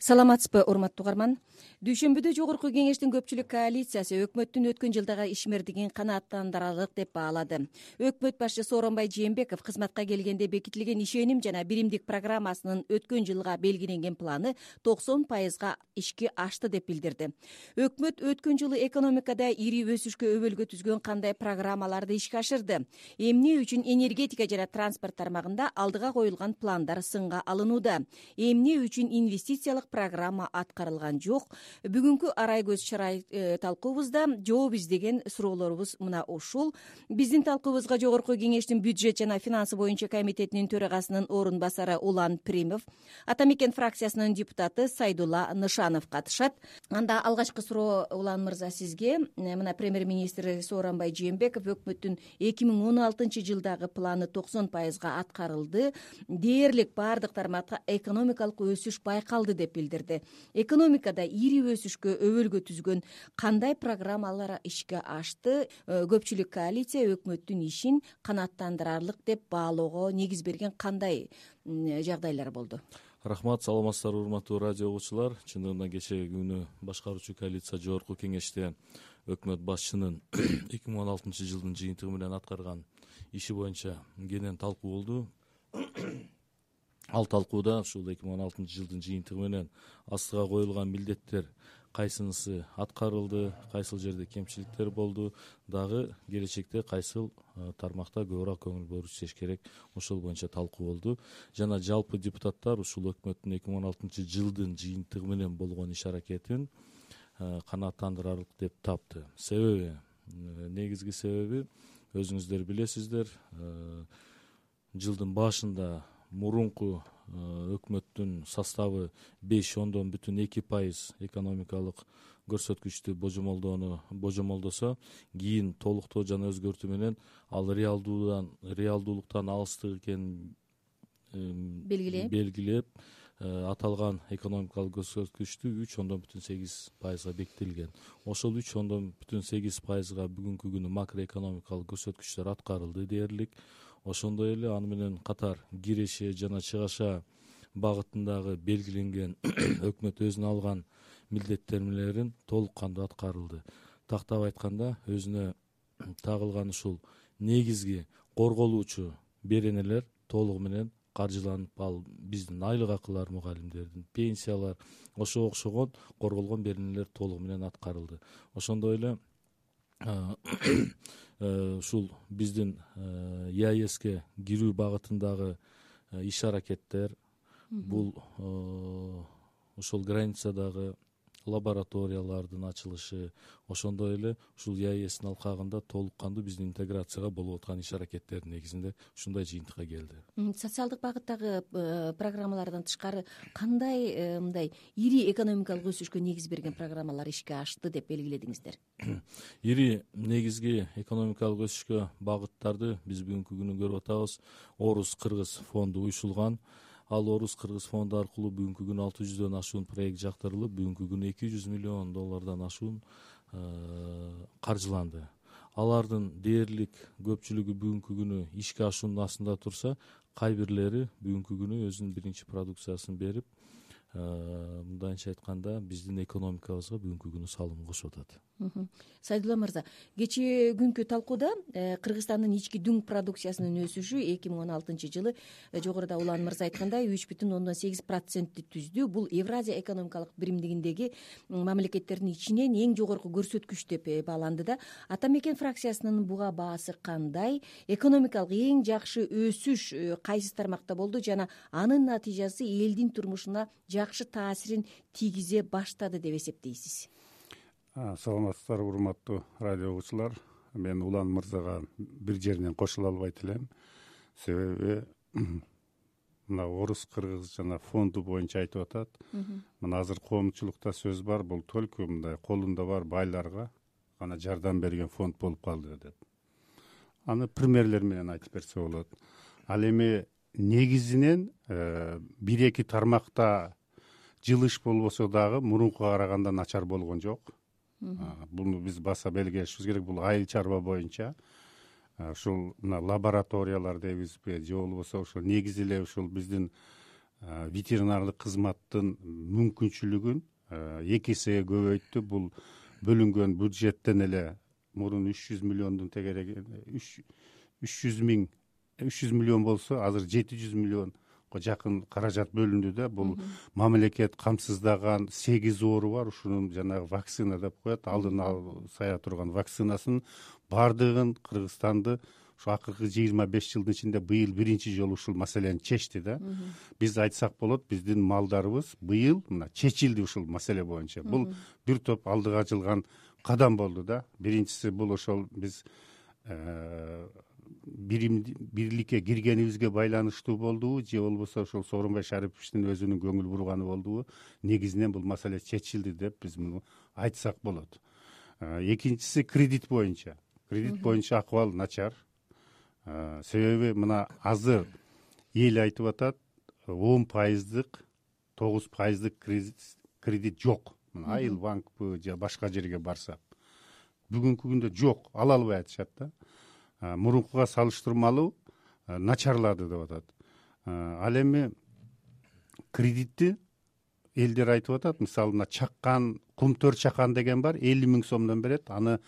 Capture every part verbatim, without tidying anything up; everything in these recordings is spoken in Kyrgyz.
Саламатсызбы, урматтуу угарман. Дүйшөмбүдө жогорку кеңештин көпчүлүк коалициясы өкмөттүн өткөн жылдагы ишмердигин канааттандырарлык деп баалады. Өкмөт башчысы Сооронбай Жээнбеков кызматка келгенде бекитилген ишеним жана биримдик программасынын өткөн жылга белгиленген планы токсон пайызга ишке ашты деп билдирди. Өкмөт өткөн жылы экономикада ири өсүшкө өбөлгө түзгөн кандай программаларды ишке ашырды? Эмне үчүн энергетика жана транспорт тармагында алдыга коюлган пландар сынга алынууда? Эмне үчүн инвестициялык программа аткарылган жок? Бүгүнкү арай көз чарай талкуубузда жооп издеген суроолорубуз мына ушул. Биздин талкуубузга жогорку кеңештин бюджет жана финансы боюнча комитетинин төрагасынын орун басары Улан Примов, Ата мекен фракциясынын депутаты Сайдулла Нышанов катышат. Анда алгачкы суроо, Улан мырза, сизге. Мына премьер-министр Сооронбай Жээнбеков өкмөттүн эки миң он алтынчы жылдагы планы токсон пайызга аткарылды, дээрлик баардык тармакта экономикалык өсүш байкалды деп билдирди. Экономикада ири өсүшкө өбөлгө түзгөн кандай программалар ишке ашты? Көпчүлүк коалиция өкмөттүн ишин канааттандырарлык деп баалоого негиз берген кандай жагдайлар болду? Рахмат, саламатсыздарбы, урматтуу радио угуучулар. Чындыгында кечеги күнү башкаруучу коалиция жогорку кеңеште өкмөт башчынын эки миң он алтынчы жылдын жыйынтыгы менен аткарган иши боюнча кенен талкуу болду. Ал талкууда ушул эки миң он алтынчы жылдын жыйынтыгы менен астыга коюлган милдеттер кайсынысы аткарылды, кайсыл жерде кемчиликтер болду, дагы келечекте кайсыл тармакта көбүрөөк көңүл буруп иштеш керек, ошол боюнча талкуу болду. Жана жалпы депутаттар ушул өкмөттүн эки миң он алтынчы жылдын жыйынтыгы менен болгон иш аракетин канааттандырарлык деп тапты. Себеби, негизги себеби өзүңүздөр билесиздер, жылдын башында мурунку өкмөттүн составы беш ондон бүтүн эки пайыз экономикалык көрсөткүчтү божомолдоону божомолдосо, кийин толуктоо жана өзгөртүү менен ал реалдуудан реалдуулуктан алыстык экенин белгилеп белгилеп аталган экономикалык көрсөткүчтү үч ондон бүтүн сегиз пайызга бекитилген. Ошол үч ондон бүтүн сегиз пайызга бүгүнкү күнү макроэкономикалык көрсөткүчтөр аткарылды дээрлик. Ошондой эле аны менен катар киреше жана чыгаша багытындагы белгиленген өкмөт өзүнө алган милдеттенмелерин толук кандуу аткарылды. Тактап айтканда, өзүнө тагылган ушул негизги корголуучу беренелер толугу менен каржыланып, ал биздин айлык акылар, мугалимдердин, пенсиялар, ошого окшогон корголгон беренелер толугу менен аткарылды. Ошондой эле ушул биздин ЕАЭСке кирүү багытындагы иш аракеттер, бул ошол границадагы лабораториялардын ачылышы, ошондой эле ушул ЕАЭСтин алкагында толук кандуу биздин интеграцияга болуп аткан иш аракеттердин негизинде ушундай жыйынтыкка келди. Социалдык багыттагы программалардан тышкары кандай мындай ири экономикалык өсүшкө негиз берген программалар ишке ашты деп белгиледиңиздер? Ири негизги экономикалык өсүшкө багыттарды биз бүгүнкү күнү көрүп атабыз. Орус-Кыргыз фонду уюшулган. Ал Орус-Кыргыз фонду аркылуу бүгүнкү күнү алты жүздөн ашуун проект жактырылып, бүгүнкү күнү эки жүз миллион доллардан ашуун каржыланды. Алардын дээрлик көпчүлүгү бүгүнкү күнү ишке ашуунун астында турса, кай бирлери бүгүнкү күнү өзүнүн биринчи продукциясын берип, мындайча айтканда, биздин экономикабызга бүгүнкү күнү салым кошуп атат. Сайдулла мырза, кечээ күнкү талкууда Кыргызстандын ички дүң продукциясынын өсүшү эки миң он алтынчы жылы жогоруда Улан мырза айткандай үч бүтүн ондон сегиз процентти түздү. Бул Евразия экономикалык биримдигиндеги мамлекеттердин ичинен эң жогорку көрсөткүч деп бааланды да. Ата мекен фракциясынын буга баасы кандай? Экономикалык эң жакшы өсүш кайсы тармакта болду жана анын натыйжасы элдин турмушуна жакшы таасирин тийгизе баштады деп эсептейсиз? Саламатсыздар, урматтуу радио угуучулар. Мен Улан мырзага бир жеринен кошула албайт элем. Себеби мына Орус-Кыргыз жана фонду боюнча айтып атат. Мына азыр коомчулукта сөз бар, бул только мындай колунда бар байларга гана жардам берген фонд болуп калды деп. Аны примерлер менен айтып берсе болот. Ал эми негизинен бир-эки тармакта жылыш болбосо дагы мурункуга караганда начар болгон жок. Буну биз баса белгилешибиз керек. Бул айыл чарба боюнча ушул мына лабораториялар дейбизби же болбосо ошол негизи эле ушул биздин ветеринарлык кызматтын мүмкүнчүлүгүн эки эсеге көбөйттү. Бул бөлүнгөн бюджеттен эле мурун үч жүз миллиондун тегереги үч жүз миң үч жүз миллион болсо азыр жети жүз миллионго жакын каражат бөлүндү да. Бул мамлекет камсыздаган сегиз оору бар. Ушунун жанагы вакцина деп коет, алдын сая турган вакцинасын баардыгын Кыргызстанды ушу акыркы жыйырма беш жылдын ичинде быйыл биринчи жолу ушул маселени чечти да. Биз айтсак болот, биздин малдарыбыз быйыл мына чечилди ушул маселе боюнча. Бул бир топ алдыга жылган кадам болду да. Биринчиси бул ошол биз бирликке киргенибизге байланыштуу болдубу же болбосо ошол Сооронбай Шариповичтин өзүнүн көңүл бурганы болдубу? Негизинен бул маселе чечилди деп биз муну айтсак болот. Экинчиси кредит боюнча. Кредит боюнча акыбал начар. Себеби мына азыр эл айтып атат, он пайыздык, тогуз пайыздык кредит жок. Мына Айыл банкпы же башка жерге барсак. Бүгүнкү күндө жок, ала албай атышат да. Мурункуга салыштырмалуу начарлады деп атат. Ал эми кредитти элдер айтып атат, мисалы мына чаккан, кумтөр чакан деген бар, элүү миң сомдон берет, аны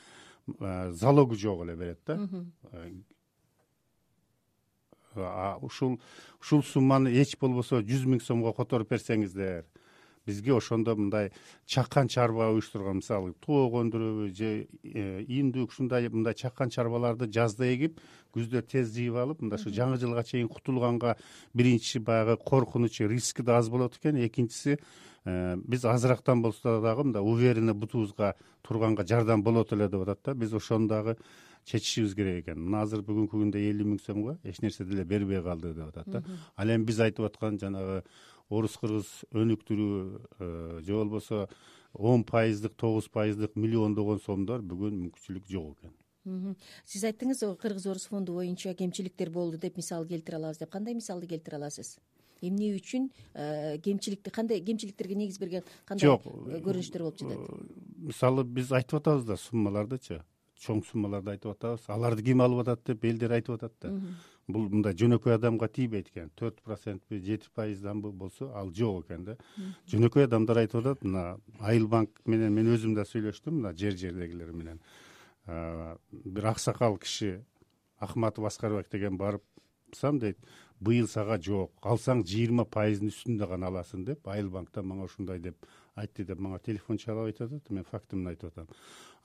залогу жок эле берет да. Ушул ушул сумманы эч болбосо жүз миң сомго которуп берсеңиздер, бизге ошондо мындай чаккан чарба уюштурган, мисалы тоок өндүрөбү же индүк ушундай мындай чаккан чарбаларды жазда эгип, күздө тез жыйып алып, мындай ушу жаңы жылга чейин кутулганга биринчи баягы коркунучу, риски да аз болот экен. Экинчиси биз азырактан болсо дагы мындай уверенно бутубузга турганга жардам болот эле деп атат да. Биз ошону дагы чечишибиз керек экен. Мына азыр бүгүнкү күндө элүү миң сомго эч нерсе деле бербей калды деп атат да. Ал эми биз айтып аткан жанагы орус-кыргыз өнүктүрүү же болбосо он пайыздык, тогуз пайыздык миллиондогон сомдор бүгүн мүмкүнчүлүк жок экен. Сиз айттыңыз, Кыргыз-Орус фонду боюнча кемчиликтер болду деп мисал келтире алабыз деп. Кандай мисалды келтире аласыз? Эмне үчүн кемчиликти, кандай кемчиликтерге негиз берген кандай көрүнүштөр болуп жатат? Мисалы биз айтып атабыз да суммалардычы, чоң суммаларды айтып атабыз. Аларды ким алып атат деп элдер айтып атат да. Бул мындай жөнөкөй адамга тийбейт экен. төрт процентпи, жети пайызданбы болсо ал жок экен да. Жөнөкөй адамдар айтып атат, мына Айыл банк менен мен өзүм да сүйлөштүм, мына жер-жердегилер менен. Бир аксакал киши Ахматов Аскарбек деген барыпсам дейт, быйыл сага жок, алсаң жыйырма пайыздын үстүндө гана аласың деп, Айыл банктан мага ушундай деп айтты деп мага телефон чалып айтып атат. Мен фактымды айтып атам.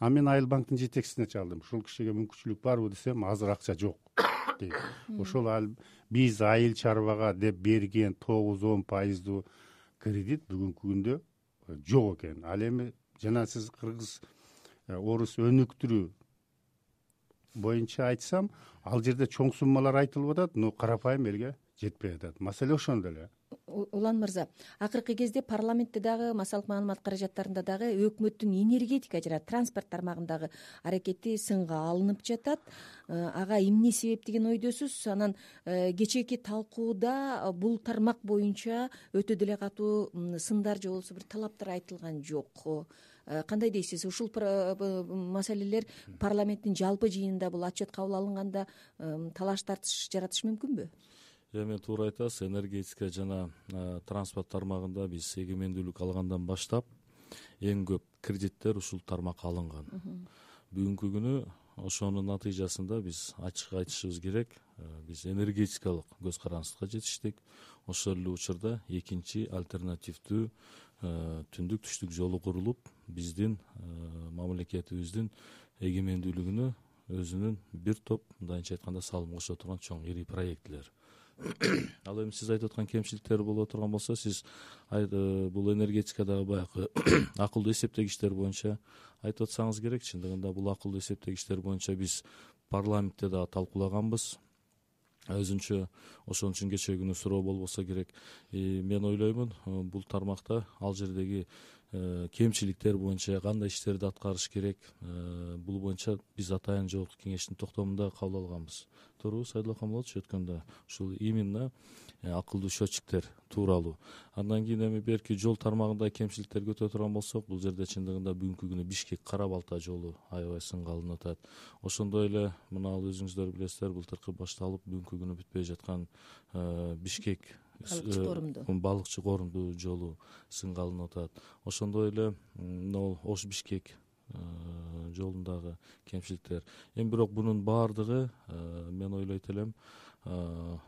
А мен Айыл банктын жетекчисине чалдым. Ушул кишиге мүмкүнчүлүк барбы десем, азыр акча жок дейт. Ошол биз айыл чарбага деп берген тогуз он пайыздуу кредит бүгүнкү күндө жок экен. Ал эми жана сиз кыргыз орус өнүктүрүү боюнча айтсам, ал жерде чоң суммалар айтылып атат, но карапайым элге жетпей атат. Маселе ошондо эле. Улан мырза, акыркы кезде парламентте дагы, массалык маалымат каражаттарында дагы өкмөттүн энергетика жана транспорт тармагындагы аракети сынга алынып жатат. Ага эмне себеп деген ойдосуз? Анан кечээки талкууда бул тармак боюнча өтө деле катуу сындар же болбосо бир талаптар айтылган жок. Кандай дейсиз? Ушул маселелер парламенттин жалпы жыйынында бул отчет кабыл алынганда талаш тартыш жаратышы мүмкүнбү? Эми туура айтасыз, энергетика жана транспорт тармагында биз эгемендүүлүк алгандан баштап эң көп кредиттер ушул тармакка алынган. Бүгүнкү күнү ошонун натыйжасында биз ачык айтышыбыз керек, биз энергетикалык көз карандыкка жетиштик. Ошол эле учурда экинчи альтернативдүү түндүк түштүк жолу курулуп, биздин мамлекетибиздин эгемендүүлүгүнө өзүнүн бир топ, мындайча айтканда, салым кошо турган чоң ири проектилер. Ал эми сиз айтып аткан кемчиликтер боло турган болсо, сиз бул энергетикадагы баягы акылдуу эсептегичтер боюнча айтып атсаңыз керек. Чындыгында бул акылдуу эсептегичтер боюнча биз парламентте дагы талкуулаганбыз. Өзүнчө ошон үчүн кечээ күнү суроо болбосо керек. Мен ойлоймун, бул тармакта ал жердеги кемчиликтер боюнча кандай иштерди аткарыш керек, бул боюнча биз атайын жогорку кеңештин токтомунда кабыл алганбыз. Туурабы, Сайдулла Камалович, өткөндө ушул именно акылдуу счетчиктер тууралуу. Андан кийин эми берки жол тармагында кемчиликтерге өтө турган болсок, бул жерде чындыгында бүгүнкү күнү Бишкек Кара Балта жолу аябай сынга алынып атат. Ошондой эле мына ал өзүңүздөр билесиздер, былтыркы башталып бүгүнкү күнү бүтпөй жаткан Бишкек балыкчы корумду балыкчы корумду жолу сынга алынып атат. Ошондой эле могу Ош Бишкек жолундагы кемчиликтер. Эми бирок бунун баардыгы мен ойлойт элем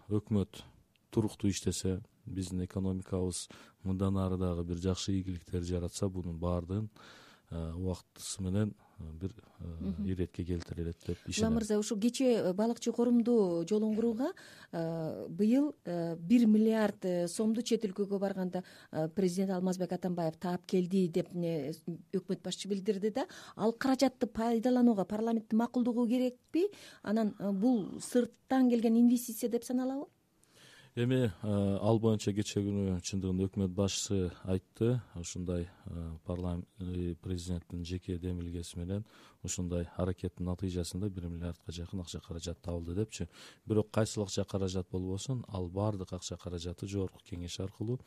өкмөт туруктуу иштесе, биздин экономикабыз мындан ары дагы бир жакшы ийгиликтер жаратса, бунун баардыгын убактысы менен бир иретке келтирилет деп ишенем. Улан мырза, ушу кечээ балыкчы корумду жолун курууга быйыл бир миллиард сомду чет өлкөгө барганда президент Алмазбек Атамбаев таап келди деп өкмөт башчы билдирди да, ал каражатты пайдаланууга парламенттин макулдугу керекпи? Анан бул сырттан келген инвестиция деп саналабы? Эми ал боюнча кечээ күнү чындыгында өкмөт башчысы айтты, ушундай парламент президенттин жеке демилгеси менен ушундай аракеттин натыйжасында бир миллиардка жакын акча каражат табылды депчи. Бирок кайсыл акча каражат болбосун, ал баардык акча каражаты жогорку кеңеш аркылуу,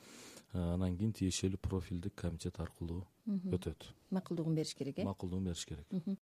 анан кийин тиешелүү профилдик комитет аркылуу өтөт. Макулдугун бериш керек, э? Макулдугун бериш керек.